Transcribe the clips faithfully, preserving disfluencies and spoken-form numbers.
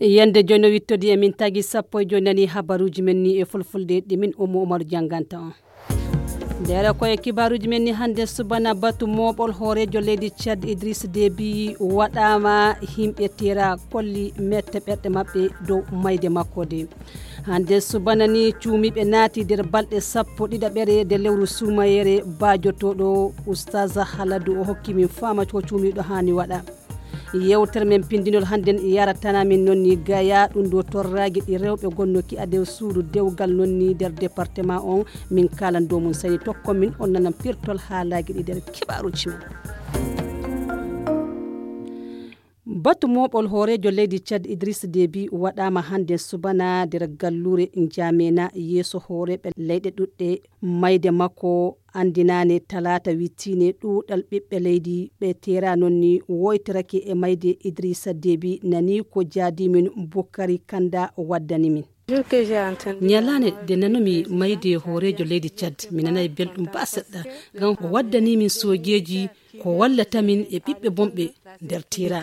Yande jono wittodi e min tagi sappo e joyi nani habaruji men ni e fulfulde ɗi min Ummu Umaru jannganta on. Ndere ko e kibaruji men ni hannde subana batu mooɓol hooreejo leydi Tchad Idriss Déby waɗaama himɓe tera kolli mette ɓerɗe maɓɓe dow mayde makko de. Hannde subana ni cuumiiɓe naati nder balɗe sappo ɗiɗaɓere de lewru suumayere baajotooɗo Oustaz Haladu o hokki min faama ko cuumiiɗo haani waɗa. Yewtere men pindinol hannden yaratana min noon ni gaya ɗum ɗo torraagi ɗi rewɓe gonnoki a nder suudu dewgal noon ni nder département on min kaalan dow mum sani tokko min on nanan pirtol haalaaji ɗi nder kibaruji men. Batu mooɓol hooreejo leydi Tchad Idriss Déby waɗaama hannde subana nder galluure Njamena yeeso hooreeɓe leyɗe ɗuɗɗe. Mayde makko anndinaane talaata wittiine ɗuuɗal ɓiɓɓe leydi ɓe teera noon ni woytorake e mayde Idrissa Déby nani ko jaadimin Bukari Kanda waddani min. Ñalaande nde nanumi mayde hooreejo leydi Tchad mi nanay belɗum ba seɗɗa ngam o waddani min soojeeji ko wallata min e ɓiɓɓe bonɓe nder tira.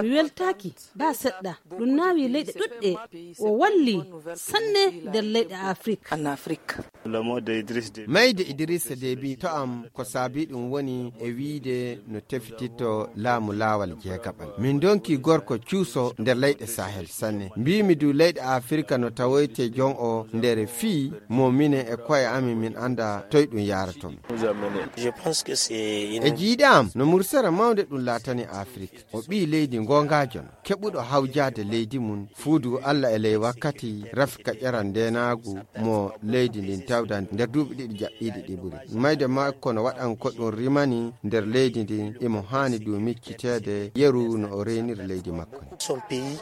Mi weltaaki ba seɗɗa ɗum naawi leyɗe ɗuɗɗe o walli sanne nder leyɗe Afrik. Mayde Idrissa Déby to am ko saabi ɗum woni e wiide no tefititto laamu laawal jeegaɓal. Min donki gorko cuuso nder leyɗe Sahel sanne. Mbiimi du leyɗe Afirka no tawoyte jon o nder fii mo minen e koye amin min annda toy ɗum yaarato min. E jiiɗe am no mursere mawnde ɗum laatani Afirka. O ɓii leydi goongaajo no keɓuɗo hawjaade leydi mum fuudu Allah e ley wakkati rafika ƴeral ndeenaagu mo leydi ndin tawda nder duuɓi ɗiɗi jaɓɓiiɗi ɗi ɓuri. Mayde makko no waɗan ko ɗum rimani nder leydi ndin imo haani du micciteede yeru no o reeniri leydi makko ndin.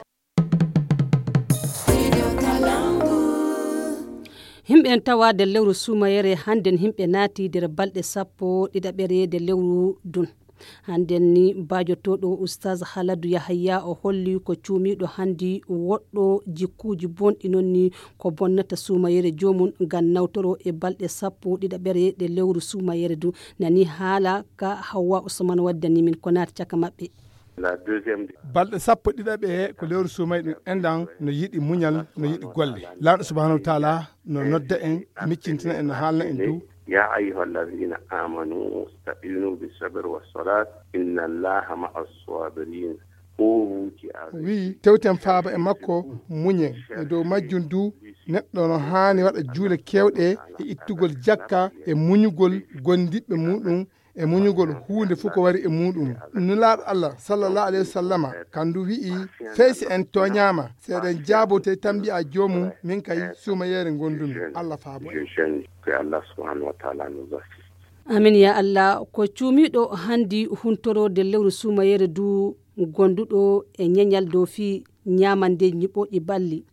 Himɓe en tawa nder lewru suumayere hannden himɓe naati nder balɗe sappo ɗiɗaɓere nder lewru dun. Hannden ni baajotooɗo Oustaz Haladu Yahaya o holli ko cuumiiɗo hanndi woɗɗo jikkuuji bonɗi noon ni ko bonnata suumayere joomum ngam nawtoro e balɗe sappo ɗiɗaɓere ɗe lewru suumayere du nani haala ka Hawwa Usman waddani min ko naati caka maɓɓe. Balɗe sappo ɗiɗaɓe ko lewru suumayɗum enɗan no yiɗi muñal no yiɗi golle. Laamɗo subhanahu wa taala no nodda en miccintina en no haalna en dow. يا أيها الذين آمنوا استعينوا بالصبر والصلاة إن الله مع الصابرين. O wii tewten faaba e makko muñen e dow majjum du neɗɗo no haani waɗa juule kewɗe e ittugol jakka e muñugol gondiɓɓe muɗum e muñugol huunde fof ko wari e muɗum. Nulaaɗo Allah sallallahu alayhi wa sallama kandu wi'i sey si en tooñaama si eɗen jaabote tan mbi'a joomum min kay suumayeere ngondumi. Allah faabo en. Amin ya Allah. Ko cuumiiɗo hanndi huntoro nder lewru suumayeere du gonduɗo e ñeñal dow fii ñaamandeeji ñiɓooɗi balli.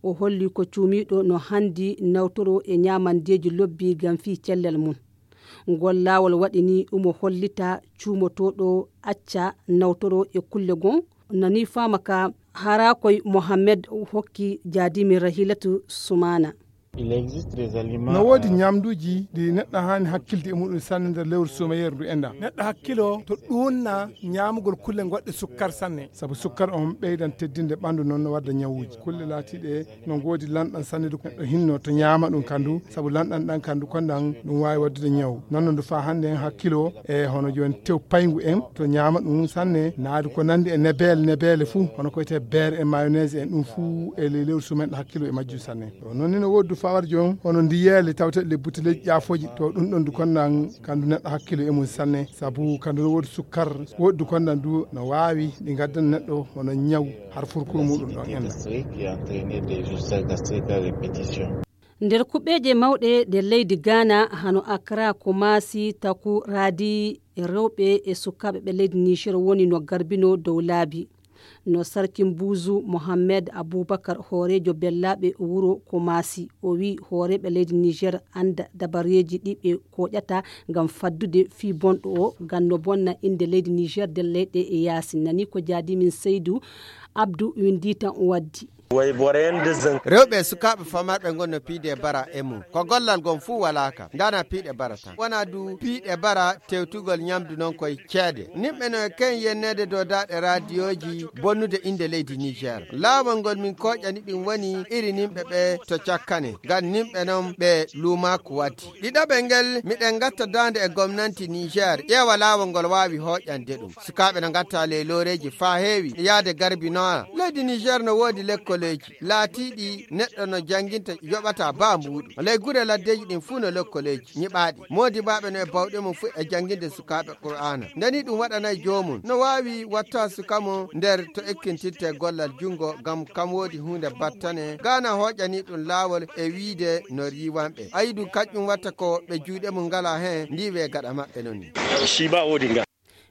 O holli ko cuumiiɗo no hanndi nawtoro e ñaamandeeji lobbi ngam fii cellal mum. Ngol laawol waɗi ni umo hollita cuumotooɗo acca nawtoro e kulle gon nani faama ka hara koy Mohammed hokki jaadimi Rahilatu Sumaana. No woodi ñamduuji ɗi neɗɗo haani hakkilde e muɗum sanne nder lewru suumayeeru ndu enɗan. Neɗɗo hakkilo to ɗuunna ñaamugol kulle goɗɗe sukkar sanne. Sabu sukkar on ɓeydan teddinde ɓanndu noon no wadda ñawuuji. Kulle laatiiɗe no ngoodi lanɗan sanne du neɗɗo hinno to ñaama ɗum kandu sabu lanɗan ɗan kandu konɗan ɗum waawi waddude ñaw. Noon no ndu faa hannde en hakkilo e hono jooni tew payngu en to ñaama ɗum sanne naadu ko nanndi e nebeele nebeele fuu hono ko wiyetee beere e mayonnaise en ɗum fuu e ley lewru suumen ɗo hakkilo e majjum sanne. To noon ni no woodi du fawar joon hono ndiyeele tawteɗe le buteleeji ƴaafooji to ɗum ɗon du konnan kandu neɗɗo hakkilo e mum sanne sabu kandu no woodi sukkar woodi du konnan du no waawi ɗi ngaddan neɗɗo hono ñaw har furkuru muɗum ɗon enna. Nder kuɓeeje mawɗe ɗe leydi Gaana hano Akra, Kumasi, Taku, Radi, rewɓe e sukaaɓe ɓe leydi Niger woni no garbino dow laabi. No sarki Mbuuzu Mohammed Abubakar hooreejo bellaaɓe wuro Kumasi o wii hooreeɓe leydi Niger annda dabareeji ɗi ɓe kooƴata ngam faddude fii bonɗo o ngam no bonna innde leydi Niger nder leyɗe e yaasi nani ko jaadimin Seydu Abdu winndi tan waddi. Rewɓe e sukaaɓe famarɓe ngon no piide bara e mum. Ko gollal gon fuu walaa ka. Nganaa piiɗe bara tan. Wonaa du piiɗe bara tewtugol ñamdu non koye ceede. Nimɓe no e ken yenneede dow daaɗe raadiyooji bonnude innde leydi Niger. Laawol ngol min kooƴani ɗin woni iri nimɓe ɓe to cakkane. Ngam nimɓe non ɓe luumaaku waddi. Ɗiɗaɓel ngel, miɗen ngatta daande e gomnanti Niger, ƴeewa laawol ngol waawi hooƴande ɗum. Sukaaɓe no ngatta ley looreeji faa heewi yaade garbinoa. Leydi Niger no woodi lekkoleeji laatiiɗi neɗɗo no jannginta yoɓata baa mbuuɗu. Ley gure laddeeji ɗin fuu no lekkoleeji nyiɓaaɗi. Moodibaaɓe no e bawɗe mum fuu e jannginde sukaaɓe Qur'aana. Nde nii ɗum waɗanay joomum, no waawi watta suka mum nder to ekkintirte gollal junngo, ngam kam woodi huunde battane, gaana hooƴani ɗum laawol e wiide no riiwanɓe. Ayi ɗum kañum watta ko ɓe juuɗe mum ngalaa heen, ndiiwe gaɗa maɓɓe non ni. Siiba woodi nga.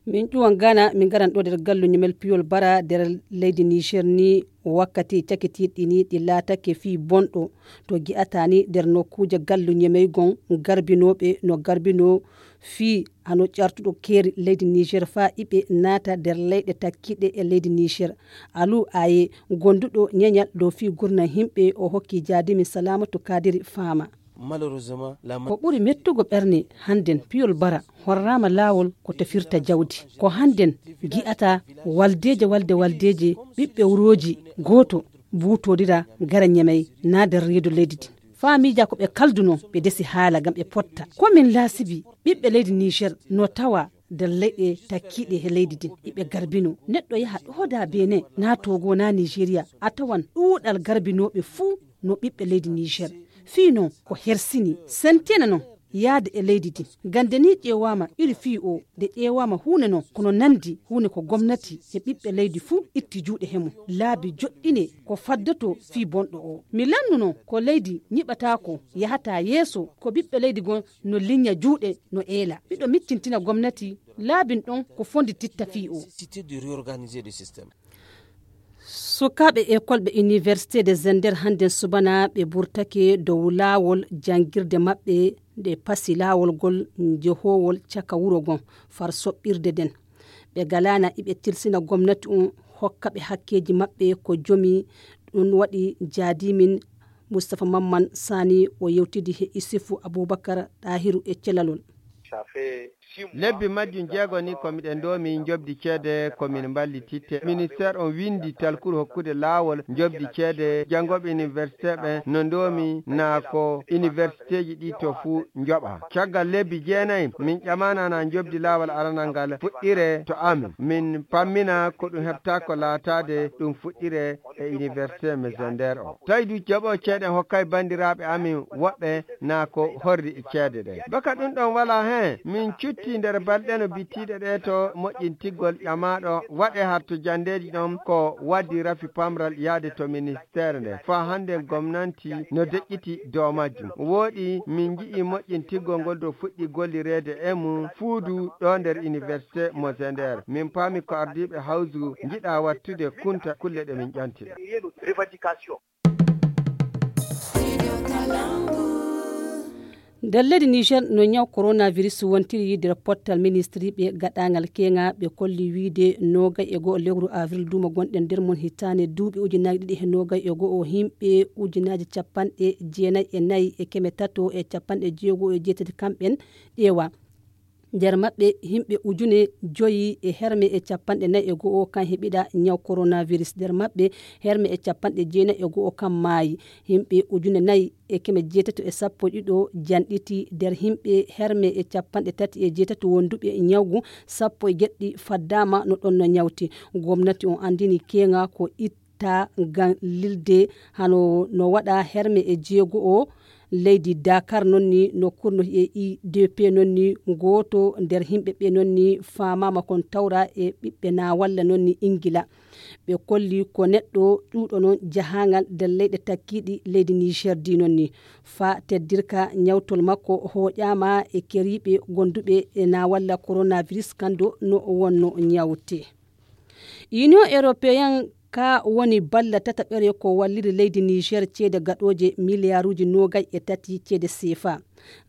Min ƴuwan Ghana, min ngaran ɗo nder gallu ñamel piyol bara nder leydi Niger ni wakkati cakitiiɗi ni ɗi laatake fii bonɗo. To gi'ata ni nder nokkuuje gallu ñameygon garbinooɓe no garbinoo fii hano ƴartuɗo keeri leydi Niger faa iɓe naata nder leyɗe takkiiɗe e leydi Niger. Alu Aye, gonduɗo ñeñal dow fii gurna himɓe o hokki jaadimi Salamatu Kadiri faama. Malheureusement, la Ko ɓuri mettugo ɓerne hannden piyol bara horraama laawol ko tefirta jawdi. Ko hannden gi'ata waldeeje walde waldeeje ɓiɓɓe wurooji gooto buutorira gara ñamey naa nder reedu leydi din. Faa miija ko ɓe kaldunoo ɓe desi haala ngam ɓe potta. Ko min laasibi ɓiɓɓe leydi Niger no tawa nder leyɗe takkiiɗe he leydi din iɓe garbinoo. Neɗɗo yaha ɗooda Benin naa Togo naa Nigeria a tawan ɗuuɗal garbinooɓe fuu no ɓiɓɓe leydi Niger. Fii non ko hersini sentena non yaade e leydi din. Gande ni ƴeewaama iri fii o nde ƴeewaama huune non kono nandi huune ko gomnati e ɓiɓɓe leydi fuu itti juuɗe he mum. Laabi joɗɗine ko faddoto fii bonɗo o. Mi lannuno ko leydi ñiɓataako yahata yeeso ko ɓiɓɓe leydi gon no liñña juuɗe no eela. Miɗo miccintina gomnati laabin ɗon ko fondi titta fii o. Nécessité de réorganiser le système. Sukaaɓe ekol ɓe Université de Zender hannden subana ɓe burtake dow laawol janngirde maɓɓe nde pasi laawol ngol njehoowol caka wuro ngon far soɓɓirde nden. Ɓe galaana iɓe tilsina gomnati on hokka ɓe hakkeeji maɓɓe ko jomi. Ɗum waɗi jaadimin Mustapha Mamman Sani o yewtidi he Isufu Abubakar Ɗahiru e celalol. Lebbi majjum jeego ni ko miɗen ndoomi njoɓdi ceede ko min mballititte. Ministère on winndi talkuru hokkude laawol njoɓdi ceede janngooɓe université ɓen no ndoomi naa ko universitéji ɗi to fuu njoɓa. Caggal lebbi jeenayi min ƴamana naa njoɓdi laawol aranal ngal fuɗɗire to amin. Min pammina ko ɗum heɓta ko laataade ɗum fuɗɗire e université Mesender o. Tawi du jaɓo ceede hokkay banndiraaɓe amin woɓɓe naa ko horri e ceede ɗe. Baka ɗum ɗon wala heen, min cutti nder balɗe no bittiiɗe ɗe to moƴƴintigol ƴamaaɗo waɗe har to janndeeji ɗon ko waddi rafi pamral yaade to ministeere nde. Faa hannde gomnanti no deƴƴiti dow majjum. Wooɗi min nji'i moƴƴintigol ngol do fuɗɗi gollireede e mum fuudu ɗo nder université Mesender. Min paami ko ardiiɓe hawsu njiɗa wattude kunta kulle ɗe min ƴanti. Nder leydi Niger no ñaw coronavirus wontiri nder pottal ministri ɓe gaɗaangal keŋa ɓe kolli wiide nogay e go'o lewru avril duuma gonɗen nder mum hitaande duuɓi ujunaaji ɗiɗi e nogay e go'o himɓe ujunaaji capanɗe jeenay e nayi e keme tato e capanɗe jeego e jeetati kamɓen ƴeewa. Nder maɓɓe himɓe ujune joyi e herme e capanɗe nayi e go'o kan heɓiɗa ñaw coronavirus. Nder maɓɓe herme e capanɗe jeenay e go'o kan maayi. Himɓe ujune nayi e keme jeetato e sappo e ɗiɗo janɗiti. Nder himɓe herme e capanɗe tati e jeetato wonduɓe ñawgu sappo e jeɗɗi faddama no ɗon no ñawti. Gomnati on andini keŋa ko it ta ngam lilde hano no waɗa herme e jeego o leydi Dakar non ni no kurno e I D P non ni gooto nder himɓe ɓe non ni faamaama kon tawra e ɓiɓɓe na walla non ni Ingila. Ɓe kolli ko neɗɗo ƴuuɗo non jahaangal nder leyɗe takkiiɗi leydi Niger di non ni faa teddirka ñawtol makko hooƴaama e keriiɓe gonduɓe e na walla coronavirus kando no wonno ñawte. Union Européen ka woni balla tataɓere ko walliri leydi Niger ceede gaɗooje miliyaaruuji noogay e tati ceede seefa.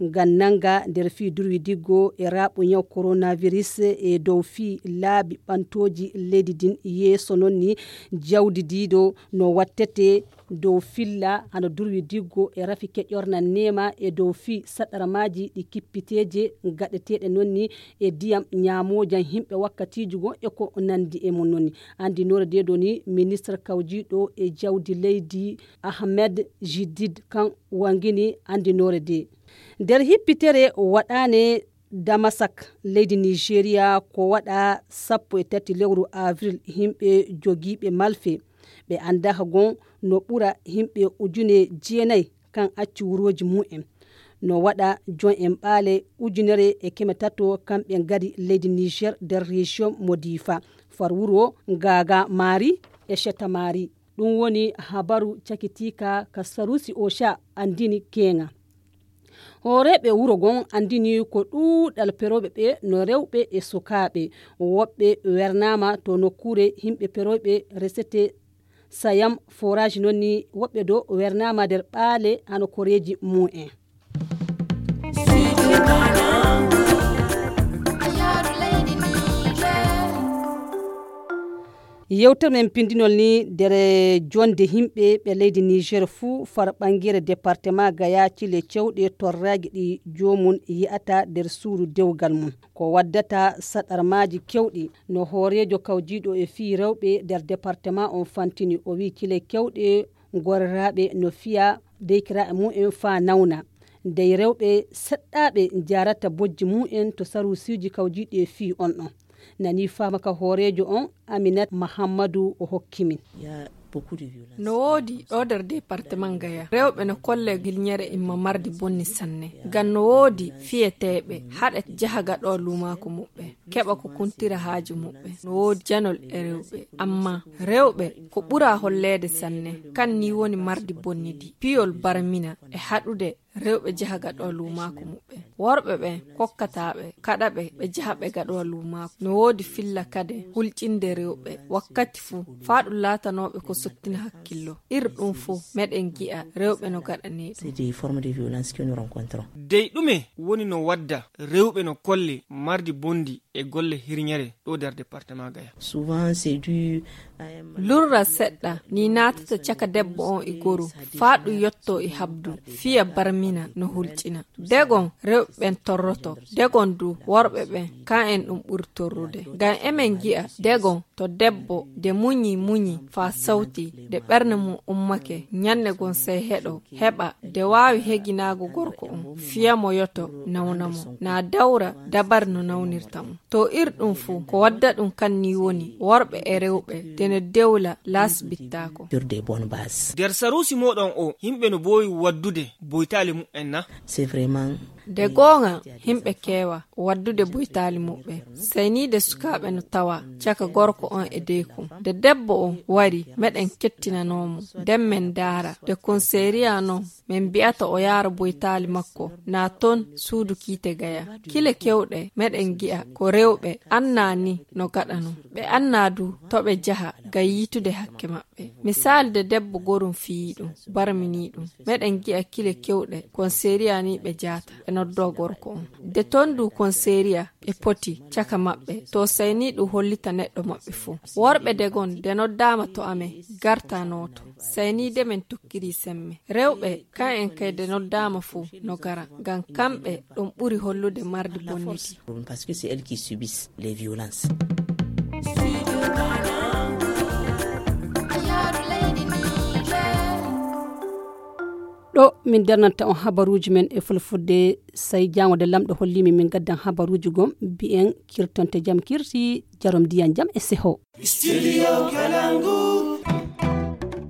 Ngam nannga nder fii durwi diggo e raaɓu ñaw coronavirus e dow fii laabi ɓantooji leydi ndin yeeso noon ni jawdi diido no wattete dow filla hano durwi diggo e rafi keƴorna neema e dow fii saɗarmaaji ɗi kippiteeje gaɗeteeɗe noon ni e diyam ñaamoojan himɓe wakkatiiji goo e ko nanndi e mum noon ni. Anndinoore de ɗo ni ministre kawjiiɗo e jawdi leydi Ahmed Jidid kan wangini anndinoore de. Nder hippitere waɗaane Damasak leydi Nigeria ko waɗa sappo e tati lewru avril himɓe jogiiɓe malfe ɓe anndaaka gon no ɓura himɓe ujune jeenay kan acci wurooji mumen. No waɗa jon en ɓaale ujunere e keme tato kamɓe ngari leydi Niger nder région mo Difa far wuro Gaga Mari e Sheta Mari. Ɗum woni habaru cakitiika ka Sarusi Osha anndini keeŋa. Hooreeɓe wuro gon anndini ko ɗuuɗal perooɓe ɓe no rewɓe e sukaaɓe. Woɓɓe wernaama to nokkuure himɓe perooɓe resete Sayam forage noon ni woɓɓe do wernaama nder ɓaale hano koreeji mumen. Yewtere men pindinol ni nder jonde himɓe ɓe leydi Niger fuu far ɓangere département Gaya cile cewɗe torraaji ɗi joomum yi'ata nder suudu dewgal mum. Ko waddata saɗarmaaji kewɗi no hooreejo kawjiiɗo e fii rewɓe nder département on fantini. O wi'i cile kewɗe gorraaɓe no fiya deykiraaɓe mumen faa nawna. Dey rewɓe seɗɗaaɓe njaarata bojji mumen to saruusiiji kawjiiɗi e fii on ɗon. Nani faama ka hooreejo on Aminat Mahammadu o hokki min. No woodi ɗo nder departement Gaya rewɓe no kolle hilñere imma mardi bonni sanne. Ngam no woodi fiyeteeɓe haɗa jaha gaɗo luumaaku muɓɓe keɓa ko kuntira haaju muɓɓe. No woodi janol e rewɓe amma rewɓe ko ɓura holleede sanne. Kan ni woni mardi bonnidi piyol barmina e haɗude rewɓe jaha gaɗo luumaaku muɓɓe. Worɓe ɓe kokkataaɓe kaɗaɓe ɓe jaha ɓe gaɗo luumaaku no woodi filla kade hulƴinde rewɓe wakkati fuu faa ɗum laatanooɓe ko sottina hakkillo. Ir ɗum fuu meɗen gi'a rewɓe no gaɗanee ɗum. Dey ɗume woni no wadda rewɓe no kolle mardi bondi e golle hirñere ɗo nder département Gaya? Lurra seɗɗa ni naatata caka debbo on e goru faa ɗum yotto e habdu fiya barmina no hulƴina. Degon rewɓe ɓen torroto degon du worɓe ɓen kan en ɗum ɓuri torrude. Ngam emen gi'a degon to debbo de muñi muñi faa sawti de ɓernde mum ummake ñande gon sey heɗo heɓa de waawi heginaago gorko on fiya mo yoto nawna mo na dawra dabari no nawnirta mo. To ir ɗum fuu ko wadda ɗum kan ni woni worɓe e rewɓe de no dewla laasbittaako. Nder saruusi mooɗon o yimɓe no boowi waddude boytaali mumen na? De goonga yimɓe keewa waddude boytaali muɓɓe. Sey ni de sukaaɓe no tawa caka gorko on e deykum de debbo on wari meɗen kettinanoo mo nden men ndaara de konseeriya non men mbi'ata o yaara boytaali makko na ton suudu kiite Gaya. Kile kewɗe meɗen gi'a ko rewɓe annaa ni no gaɗanoo ɓe annaa du to ɓe jaha ngam yiitude hakke maɓɓe. Misaali de debbo gorum fiyii ɗum barminii ɗum meɗen gi'a kile kewɗe konseeriya ni ɓe jaata ɓe noddoo gorko on de ton du konseeriya ɓe poti caka maɓɓe to sey ni ɗum hollita neɗɗo maɓɓe fuu. Worɓe degon de noddaama to amen garta nooto sey ni de men tokkirii semme. Rewɓe kan en kay de noddaama fuu no gara ngam kamɓe ɗum ɓuri hollude mardi bonniti. Ɗo min darnanta on habaruuji men e fulfulde. Sey jaango de lamɗo holliimi min gaddan habaruuji gom mbi'en kirtonte jam kirti jarom ndiyan jam e seho. Studio Kalangu.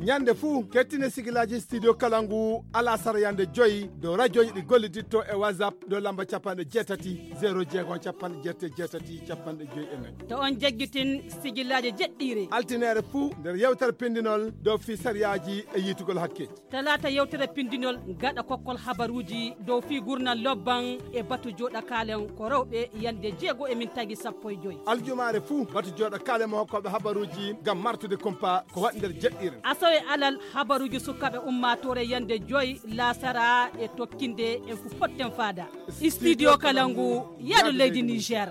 Ñande fuu kettine sigilaaji studio Kalangu alasara yande joyi dow rajooji ɗi golliditto e WhatsApp dow lamba capanɗe jeetati zero jeego capanɗe jeetati jeetati capanɗe joyi e nayi. To on jaggitin sigilaaji jeɗɗiire altineere fuu nder yewtere pindinol dow fii sariyaaji e yiitugol hakke. Talaata yewtere pindinol gaɗa kokkol habaruuji dow fii gurnal lobban e batu jooɗakaalen ko rewɓe yande jeego e min tagi sappo e joyi. Aljumaare fuu batu jooɗakaalen mo hokkooɓe habaruuji ngam martude kumpa ko waɗi nder jeɗɗiire. E alal habaruuji sukaaɓe ummaatoore yande joy laasara e tokkinde en fu potten faada. Studio Kalangu, yaadu leydi Niger.